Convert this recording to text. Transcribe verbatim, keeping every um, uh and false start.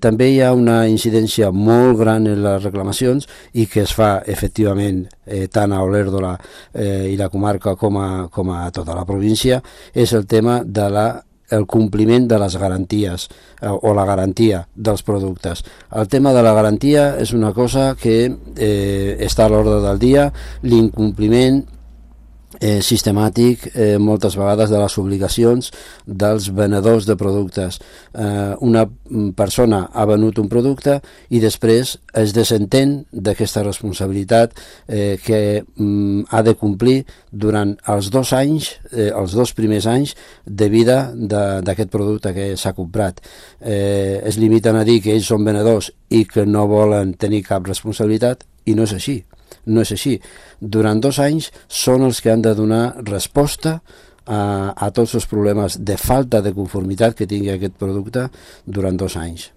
També hi ha una incidència molt gran en les reclamacions i que es fa efectivament eh, tant a Olèrdola eh, i la comarca com a, com a tota la província, és el tema de la el compliment de les garanties eh, o la garantia dels productes. El tema de la garantia és una cosa que eh, està a l'ordre del dia, l'incompliment Eh, sistemàtic eh, moltes vegades de les obligacions dels venedors de productes. Eh, una persona ha venut un producte i després es desentén d'aquesta responsabilitat eh, que mm, ha de complir durant els dos anys, eh, els dos primers anys de vida d'aquest producte que s'ha comprat. Eh, es limiten a dir que ells són venedors i que no volen tenir cap responsabilitat i no és així. No és així. Durant dos anys són els que han de donar resposta a, a tots els problemes de falta de conformitat que tingui aquest producte durant dos anys.